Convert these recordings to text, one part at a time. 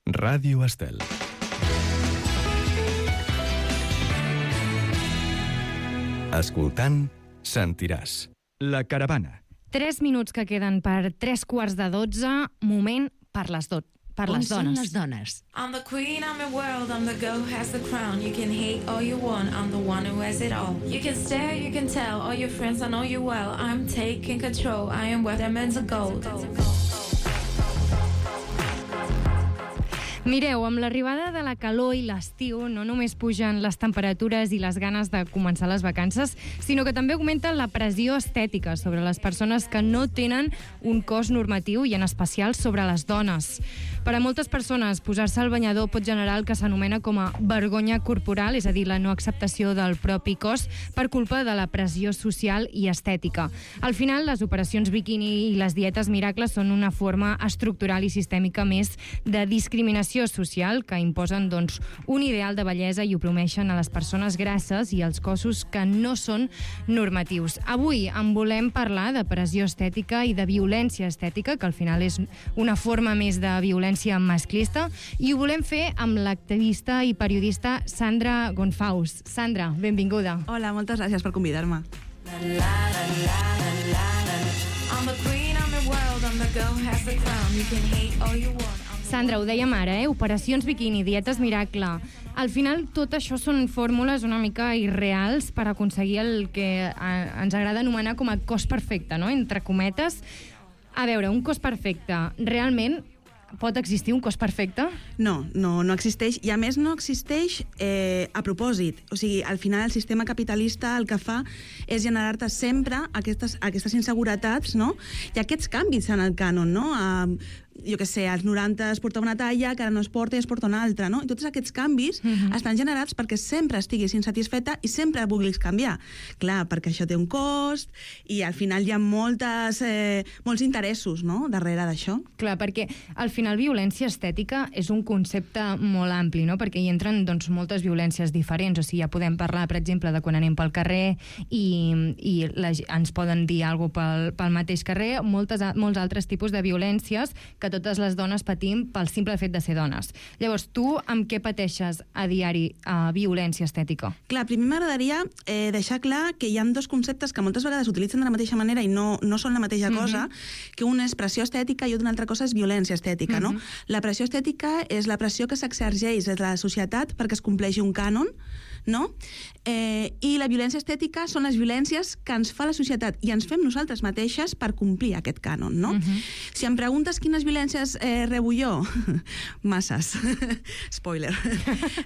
Ràdio Estel. Escoltant, sentiràs. La caravana. 3 minuts que queden per 3:15, moment per les dones. On són les dones? I'm the queen, I'm your world, I'm the girl who has the crown. You can hate all you want, I'm the one who has it all. You can stare, you can tell, all your friends, I know you well. I'm taking control, I am where diamonds are gold. Mireu, amb l'arribada de la calor i l'estiu no només pugen les temperatures i les ganes de començar les vacances, sinó que també augmenta la pressió estètica sobre les persones que no tenen un cos normatiu i en especial sobre les dones. Per a moltes persones, posar-se al banyador pot generar el que s'anomena com a vergonya corporal, és a dir, la no acceptació del propi cos per culpa de la pressió social i estètica. Al final, les operacions biquini i les dietes miracles són una forma estructural i sistèmica més de discriminació social que imposen un ideal de bellesa i oprimeixen a les persones grasses i els cossos que no són normatius. Avui en volem parlar de pressió estètica i de violència estètica, que al final és una forma més de violència masclista, i ho volem fer amb l'activista i periodista Sandra Gonfaus. Sandra, benvinguda. Hola, moltes gràcies per convidar-me. Sandra, ho dèiem ara, operacions biquini, dietes miracle. Al final, tot això són fórmules una mica irreals per aconseguir el que ens agrada anomenar com a cos perfecte, no? Entre cometes. A veure, un cos perfecte, realment pot existir un cos perfecte? No existeix, i a més no existeix a propòsit. O sigui, al final el sistema capitalista el que fa és generar-te sempre aquestes inseguretats, no? I aquests canvis en el cànon, no? Jo què sé, als 90 es porta una talla, que ara no es porta i es porta una altra, no? I tots aquests canvis estan generats perquè sempre estiguis insatisfeta i sempre vulguis canviar. Clar, perquè això té un cost i al final hi ha molts interessos, no?, darrere d'això. Clar, perquè al final violència estètica és un concepte molt ampli, no?, perquè hi entren moltes violències diferents. O sigui, ja podem parlar, per exemple, de quan anem pel carrer i ens poden dir alguna cosa pel mateix carrer, molts altres tipus de violències que totes les dones patim pel simple fet de ser dones. Llavors, tu amb què pateixes a diari violència estètica? Clar, primer m'agradaria deixar clar que hi ha dos conceptes que moltes vegades s'utilitzen de la mateixa manera i no són la mateixa cosa, que un és pressió estètica i una altra cosa és violència estètica, no? La pressió estètica és la pressió que s'exergeix des de la societat perquè es compleixi un cànon, no? I la violència estètica són les violències que ens fa la societat i ens fem nosaltres mateixes per complir aquest cànon, no? Si em preguntes quines violències rebo jo, masses. Spoiler.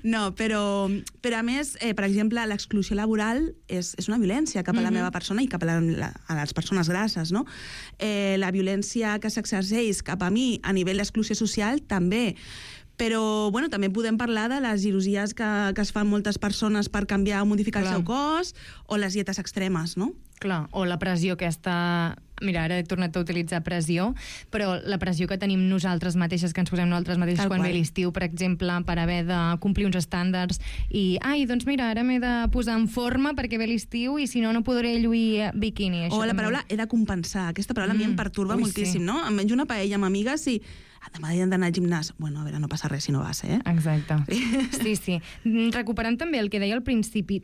No, però a més, per exemple, l'exclusió laboral és una violència cap a la meva persona i cap a les persones grasses, no? La violència que s'exerceix cap a mi a nivell d'exclusió social també. Però, bueno, també podem parlar de les cirurgies que es fan moltes persones per canviar o modificar el seu cos, o les dietes extremes, no? Clar, o la pressió aquesta... Mira, ara he tornat a utilitzar pressió, però la pressió que tenim nosaltres mateixes, que ens posem nosaltres mateixes quan ve l'estiu, per exemple, per haver de complir uns estàndards i, doncs mira, ara m'he de posar en forma perquè ve l'estiu i si no, no podré lluir biquini. O la paraula he de compensar. Aquesta paraula a mi em perturba moltíssim, no? Em menjo una paella amb amigues i demà he d'anar al gimnàs. Bueno, a veure, no passa res si no vas, Exacte. Sí. Recuperant també el que deia al principi,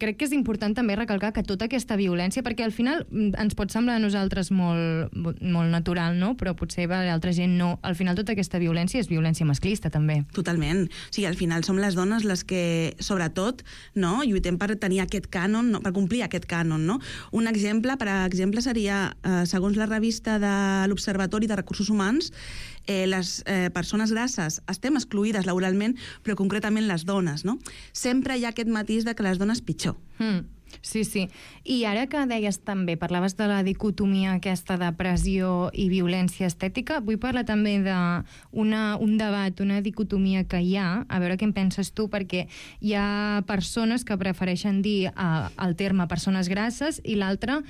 crec que és important també recalcar que tota aquesta violència, perquè al final ens pot semblar a nosaltres molt natural, no? Però potser a l'altra gent no. Al final tota aquesta violència és violència masclista, també. Totalment. O sigui, al final som les dones les que, sobretot, no, lluitem per tenir aquest cànon, per complir aquest cànon, no? Un exemple, per exemple, seria, segons la revista de l'Observatori de Recursos Humans, les persones grasses estem excluïdes laboralment, però concretament les dones, no? Sempre hi ha aquest matís de que les dones pitjor. Sí. I ara que deies també, parlaves de la dicotomia aquesta de pressió i violència estètica, vull parlar també d'un debat, una dicotomia que hi ha, a veure què en penses tu, perquè hi ha persones que prefereixen dir el terme persones grasses i l'altre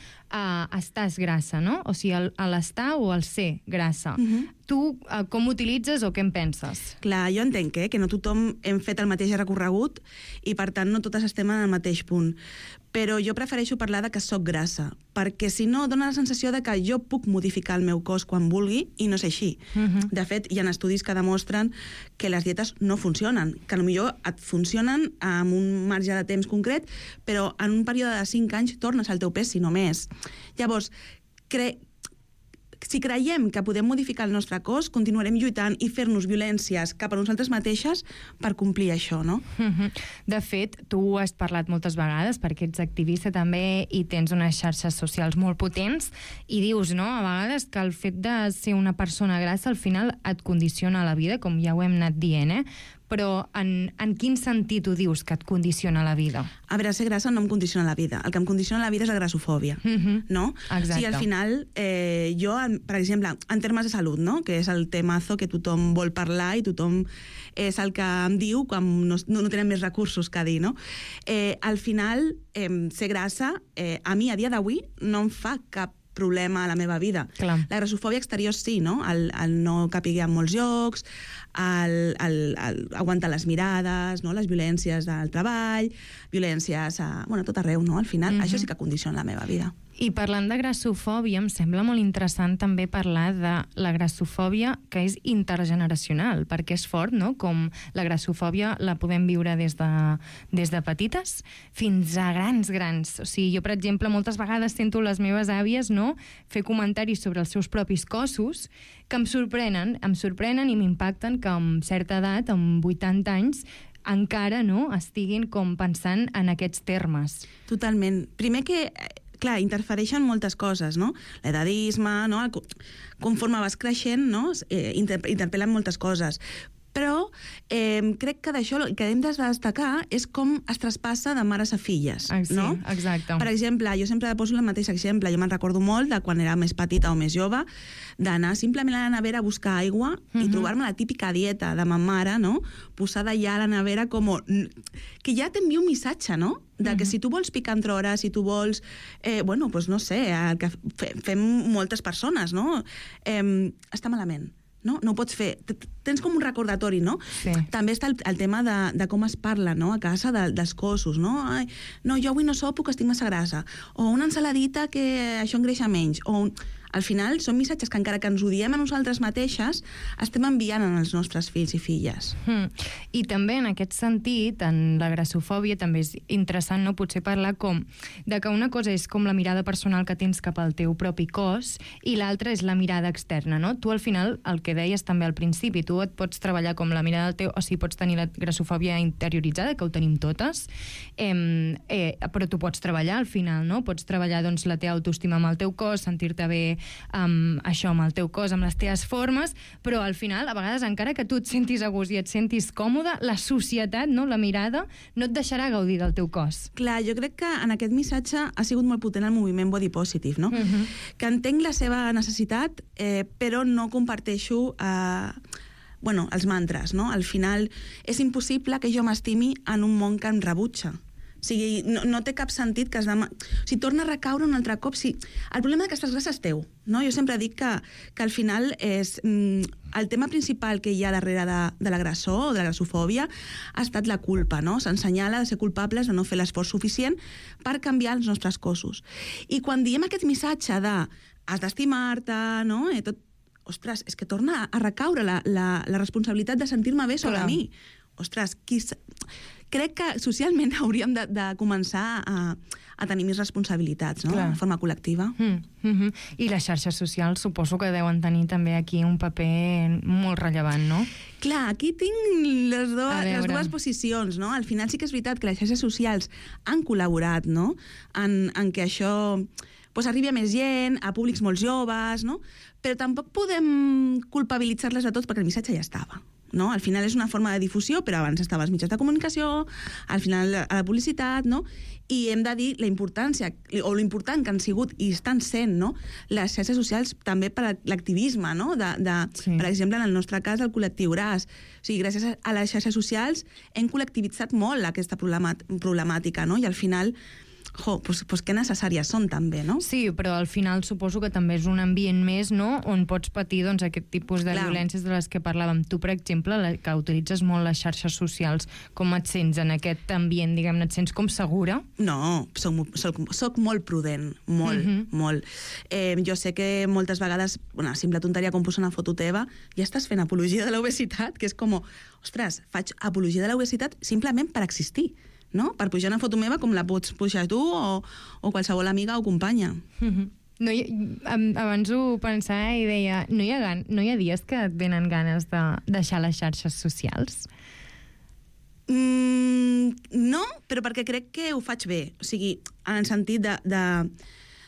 estàs grassa, no? O sigui, l'estar o el ser grassa. Tu com utilitzes o què en penses? Clar, jo entenc que no tothom hem fet el mateix recorregut i per tant no totes estem en el mateix punt. però jo prefereixo parlar de que soc grassa, perquè si no dona la sensació de que jo puc modificar el meu cos quan vulgui, i no és així. De fet, hi ha estudis que demostren que les dietes no funcionen, que potser et funcionen amb un marge de temps concret, però en un període de 5 anys tornes al teu pes, si no més. Llavors, si creiem que podem modificar el nostre cos, continuarem lluitant i fer-nos violències cap a nosaltres mateixes per complir això, no? De fet, tu has parlat moltes vegades, perquè ets activista també i tens unes xarxes socials molt potents, i dius, no?, a vegades que el fet de ser una persona grassa al final et condiciona la vida, com ja ho hem anat dient, però en quin sentit ho dius que et condiciona la vida? A veure, ser grassa no em condiciona la vida. El que em condiciona la vida és la grassofòbia, no? Exacte. O sigui, al final, jo, per exemple, en termes de salut, no?, que és el temazo que tothom vol parlar i tothom és el que em diu quan no tenen més recursos que dir, no? Al final, ser grassa, a mi, a dia d'avui, no em fa cap problema a la meva vida. Clar. La grassofòbia exterior sí, no? El no capiguer en molts llocs, aguantar les mirades, no? Les violències del treball, violències a tot arreu, no? Al final, això sí que condiciona la meva vida. I parlant de grassofòbia, em sembla molt interessant també parlar de la grassofòbia que és intergeneracional, perquè és fort, no?, com la grassofòbia la podem viure des de petites fins a grans. O sigui, jo, per exemple, moltes vegades sento les meves àvies, no?, fer comentaris sobre els seus propis cossos que em sorprenen i m'impacten que amb certa edat, amb 80 anys, encara no estiguin com pensant en aquests termes. Totalment. Primer que clar, interfereixen moltes coses, no? L'edadisme, no? Conforme vas creixent, no? Interpel·len moltes coses. Però crec que d'això el que hem de destacar és com es traspassa de mares a filles, no? Sí, exacte. Per exemple, jo sempre poso el mateix exemple. Jo me'n recordo molt de quan era més petita o més jove, d'anar simplement a la nevera a buscar aigua i trobar-me la típica dieta de ma mare, no?, posada ja a la nevera com... que ja t'envia un missatge, no?, de que si tu vols picar entre hores, si tu vols... doncs no sé, el que fem moltes persones, no? Està malament. No ho pots fer. Tens com un recordatori, no? Sí. També està el tema de com es parla, no?, a casa dels cossos, no? Ai, no, jo avui no sopo, que estic massa grassa. O una ensaladita que això engreixa menys. O al final són missatges que encara que ens ho diem a nosaltres mateixes, estem enviant als nostres fills i filles. I també en aquest sentit, en la grassofòbia, també és interessant, no?, potser parlar com de que una cosa és com la mirada personal que tens cap al teu propi cos i l'altra és la mirada externa, no? Tu al final, el que deies també al principi, tu et pots treballar com la mirada del teu... O sigui, pots tenir la grassofòbia interioritzada, que ho tenim totes, però tu pots treballar al final, no? Pots treballar, doncs, la teva autoestima amb el teu cos, sentir-te bé amb el teu cos, amb les teves formes, però al final, a vegades, encara que tu et sentis a gust i et sentis còmode, la societat, no?, la mirada, no et deixarà gaudir del teu cos. Clar, jo crec que en aquest missatge ha sigut molt potent el moviment body positive, no? Que entenc la seva necessitat, però no comparteixo els mantres, no? Al final és impossible que jo m'estimi en un món que em rebutja. O sigui, no té cap sentit que torna a recaure un altre cop. El problema de que estàs grassa és teu, no? Jo sempre dic que al final és el tema principal que hi ha darrere de l'agressor o de la grassofòbia ha estat la culpa, no? S'ensenyala de ser culpables de no fer l'esforç suficient per canviar els nostres cossos. I quan diem aquest missatge de has d'estimar-te, no? Ostres, és que torna a recaure la responsabilitat de sentir-me bé sobre mi. Ostres, crec que socialment hauríem de començar a tenir més responsabilitats, no?, de forma col·lectiva. I les xarxes socials suposo que deuen tenir també aquí un paper molt rellevant, no? Clar, aquí tinc les dues posicions, no? Al final sí que és veritat que les xarxes socials han col·laborat, no?, en que això arribi a més gent, a públics molt joves, no? Però tampoc podem culpabilitzar-les de tots perquè el missatge ja estava. No? Al final és una forma de difusió, però abans estava als mitjans de comunicació, al final a la publicitat, no? I hem de dir la importància, o l'important que han sigut i estan sent, no?, les xarxes socials també per a l'activisme, no? Sí. Per exemple, en el nostre cas, el col·lectiu Gras. O sigui, gràcies a les xarxes socials hem col·lectivitzat molt aquesta problemàtica, no? I al final pues que necessàries són també, no? Sí, però al final suposo que també és un ambient més, no?, on pots patir doncs, aquest tipus de violències de les que parlàvem. Tu, per exemple, que utilitzes molt les xarxes socials, com et sents en aquest ambient, diguem-ne, et sents com segura? No, soc molt prudent, molt. Jo sé que moltes vegades, una simple tonteria com posar una foto teva, ja estàs fent apologia de l'obesitat, que és com, ostres, faig apologia de l'obesitat simplement per existir, no? Per pujar una foto meva com la pots pujar tu o qualsevol amiga o companya. No abans ho pensava i deia, no hi ha dies que et venen ganes de deixar les xarxes socials? No, però perquè crec que ho faig bé. O sigui, en el sentit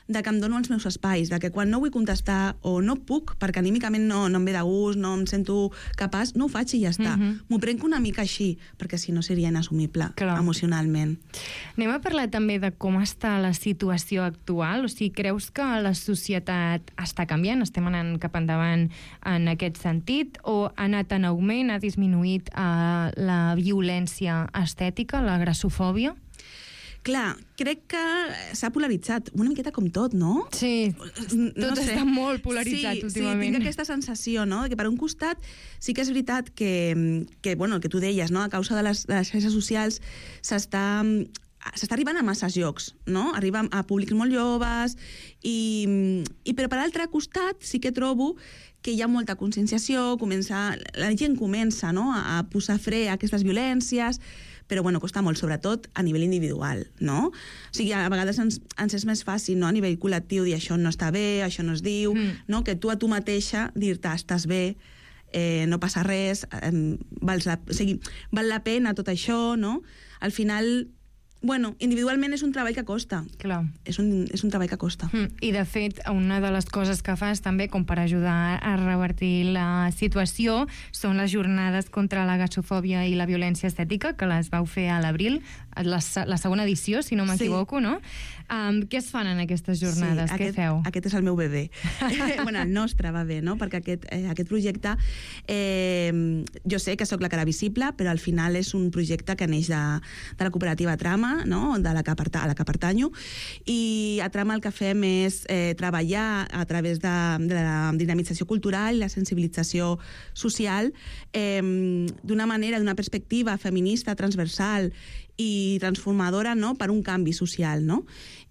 de que em dono els meus espais, de que quan no vull contestar o no puc, perquè anímicament no em ve de gust, no em sento capaç, no ho faig i ja està. M'ho prenc una mica així, perquè si no seria inassumible emocionalment. Anem a parlar també de com està la situació actual. O sigui, creus que la societat està canviant? Estem anant cap endavant en aquest sentit? O ha anat en augment, ha disminuït la violència estètica, la grassofòbia? Clar, crec que s'ha polaritzat una miqueta com tot, no? Sí, tot està molt polaritzat últimament. Sí, tinc aquesta sensació, no?, que per un costat sí que és veritat que bueno, el que tu deies, no?, a causa de les xarxes socials s'està arribant a masses llocs, no? Arriba a públics molt joves, però per altre costat sí que trobo que hi ha molta conscienciació, la gent comença, no?, a posar fre a aquestes violències, però bueno, costa molt, sobretot a nivell individual, no? O sigui, a vegades ens és més fàcil, no?, a nivell col·lectiu dir això no està bé, això no es diu, no?, que tu a tu mateixa dir-te estàs bé, no passa res, val la pena tot això, no? Al final, bueno, individualment és un treball que costa. Clar. És un treball que costa. I, de fet, una de les coses que fas també, com per ajudar a revertir la situació, són les jornades contra la grassofòbia i la violència estètica, que les vau fer a l'abril, la segona edició, si no m'equivoco, no? Què es fan en aquestes jornades? Què feu? Aquest és el meu bebè. Bueno, el nostre bebè, no? Perquè aquest projecte, jo sé que sóc la cara visible, però al final és un projecte que neix de la cooperativa Trama, no?, a la que pertanyo, i a Trama el que fem és treballar a través de la dinamització cultural i la sensibilització social d'una manera, d'una perspectiva feminista, transversal i transformadora, no?, per un canvi social, no?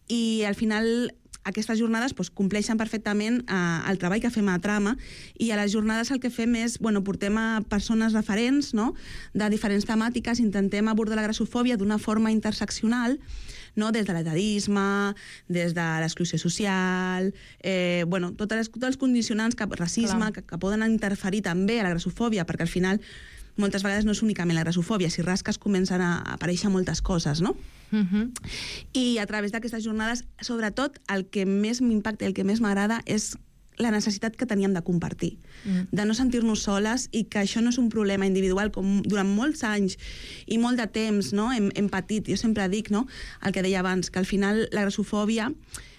I al final aquestes jornades compleixen perfectament el treball que fem a Trama, i a les jornades el que fem és, portem a persones referents, no?, de diferents temàtiques, intentem abordar la grassofòbia d'una forma interseccional, no?, des de l'etadisme, des de l'exclusió social, tots els condicionants, racisme, que poden interferir també a la grassofòbia, perquè al final moltes vegades no és únicament la grassofòbia, si rasques comencen a aparèixer moltes coses, no? I a través d'aquestes jornades, sobretot, el que més m'impacta i el que més m'agrada és la necessitat que teníem de compartir, de no sentir-nos soles, i que això no és un problema individual, com durant molts anys i molt de temps, no?, hem patit. Jo sempre dic, no?, el que deia abans, que al final la grassofòbia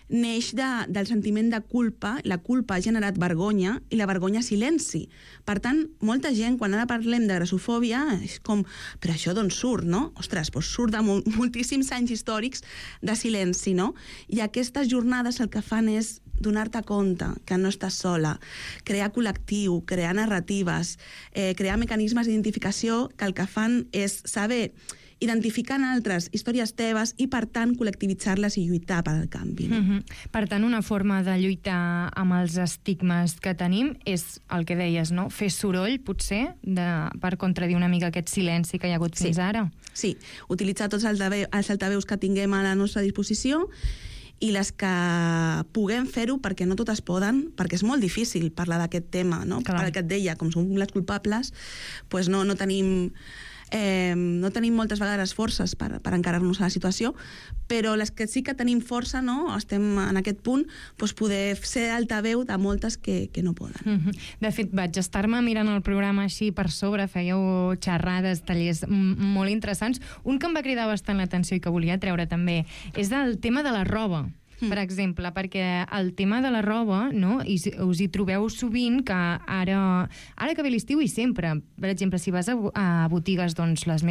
neix del sentiment de culpa. La culpa ha generat vergonya i la vergonya silenci. Per tant, molta gent, quan ara parlem de grassofòbia, és com, però això d'on surt, no? Ostres, doncs surt de moltíssims anys històrics de silenci, no? I aquestes jornades el que fan és donar-te compte que no estàs sola, crear col·lectiu, crear narratives, crear mecanismes d'identificació que el que fan és saber identificant altres històries teves i, per tant, col·lectivitzar-les i lluitar per al canvi. No? Per tant, una forma de lluitar amb els estigmes que tenim és el que deies, no? Fer soroll, potser, per contradir una mica aquest silenci que hi ha hagut fins ara. Sí, utilitzar tots els altaveus que tinguem a la nostra disposició, i les que puguem fer-ho, perquè no totes poden, perquè és molt difícil parlar d'aquest tema, no? Per el que et deia, com som les culpables, doncs no tenim moltes vegades forces per encarar-nos a la situació, però les que sí que tenim força, no?, estem en aquest punt, doncs poder ser altaveu de moltes que no poden. De fet, vaig estar-me mirant el programa així per sobre, fèieu xerrades, tallers molt interessants. Un que em va cridar bastant l'atenció i que volia treure també és el tema de la roba. per exemple, perquè el tema de la roba, no? Us hi trobeu sovint que ara que ve l'estiu i sempre, per exemple, si vas a botigues doncs, les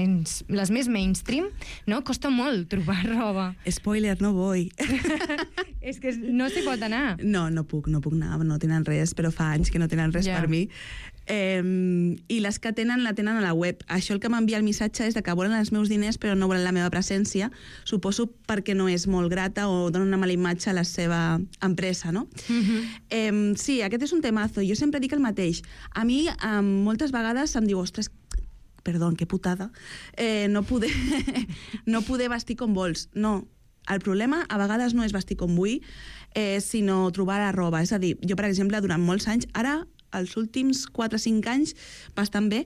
més mainstream, no? Costa molt trobar roba. Spoiler, no vull. És que no s'hi pot anar. No puc anar, no tenen res, però fa anys que no tenen res per mi. I les que tenen, la tenen a la web. Això el que m'envia el missatge és que volen els meus diners però no volen la meva presència, suposo perquè no és molt grata o dona una mala imatge a la seva empresa, no? Sí, aquest és un temazo. Jo sempre dic el mateix. A mi moltes vegades em diu, ostres, perdó, que putada, no poder vestir com vols. No, el problema a vegades no és vestir com vull, sinó trobar la roba. És a dir, jo, per exemple, durant molts anys, ara els últims 4 o 5 anys bastant bé,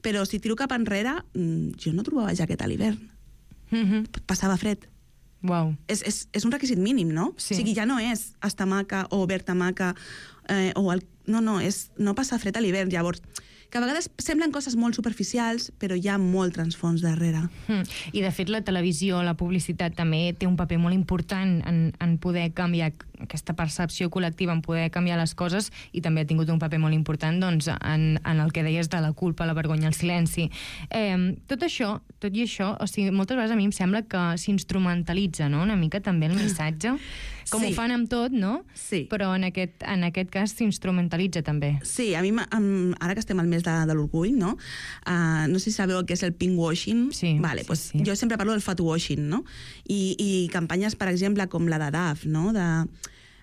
però si tiro cap enrere, jo no trobava jaqueta a l'hivern. Passava fred. Wow. És un requisit mínim, no? Sí. O sigui, ja no és estar maca o verd maca, no, és no passar fred a l'hivern. Llavors, que a vegades semblen coses molt superficials, però hi ha molt transfons darrere. I, de fet, la televisió, la publicitat també té un paper molt important en poder canviar aquesta percepció col·lectiva, en poder canviar les coses, i també ha tingut un paper molt important doncs, en el que deies de la culpa, la vergonya, el silenci. Tot i això, o sigui, moltes vegades a mi em sembla que s'instrumentalitza, no?, una mica també el missatge, com ho fan amb tot, no? Sí. Però en aquest cas s'instrumentalitza també. Sí, a mi, ara que estem al mes de l'orgull, no? No sé si sabeu què és el pinkwashing. Sí, vale, sí, pues sí. Jo sempre parlo del fatwashing, no? I campanyes, per exemple, com la de DAF, no?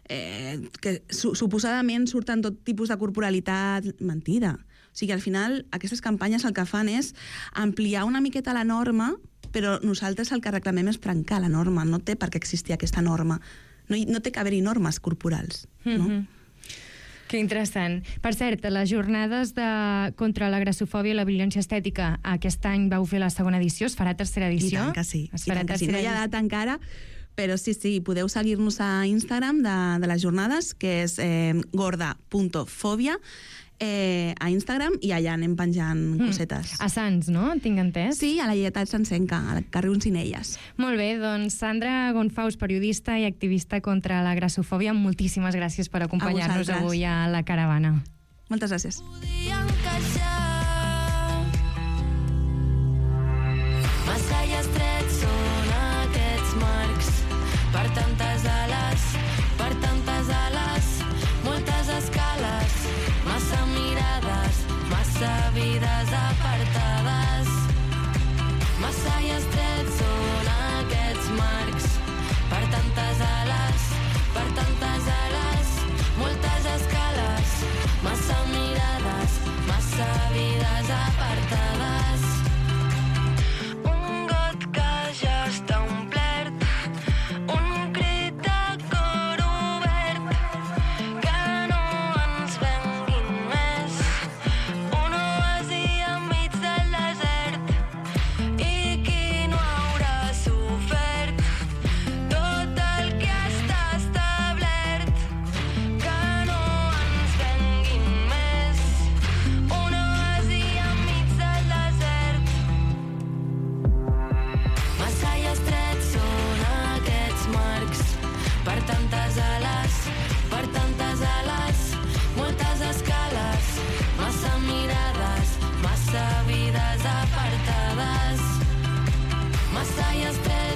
Que suposadament surten tot tipus de corporalitat. Mentida. O sigui, al final, aquestes campanyes el que fan és ampliar una miqueta la norma, però nosaltres el que reclamem és trencar la norma. No té per què existir aquesta norma. No té que haver-hi normes corporals, no? Que interessant. Per cert, les jornades contra la grassofòbia i la violència estètica aquest any vau fer la segona edició, es farà tercera edició? I tant que sí. Es farà tercera No hi ha data encara, però sí, podeu seguir-nos a Instagram de les jornades, que és gorda.fòbia, a Instagram, i allà anem penjant cosetes. A Sants, no? Tinc entès? Sí, a la Lleietà Sancenca, al carrer Uncinelles. Molt bé, doncs Sandra Gonfaus, periodista i activista contra la grassofòbia, moltíssimes gràcies per acompanyar-nos avui a La Caravana. Moltes gràcies. Massa i estrets són aquests marcs, per tantes ales, moltes escales, massa mirades, massa vides apartades. Massa i estrets són aquests marcs, per tantes ales, moltes escales, massa mirades, massa vides apartades. Un got que ja està omplert, un crit de cor obert, que no ens venguin més, un oasi enmig del desert, i qui no haurà sofert tot el que està establert, que no ens venguin més, un oasi enmig del desert. Massa i estrets són aquests marcs, per tantes ales, moltes escales, massa mirades, massa vides apartades. Massa i estrets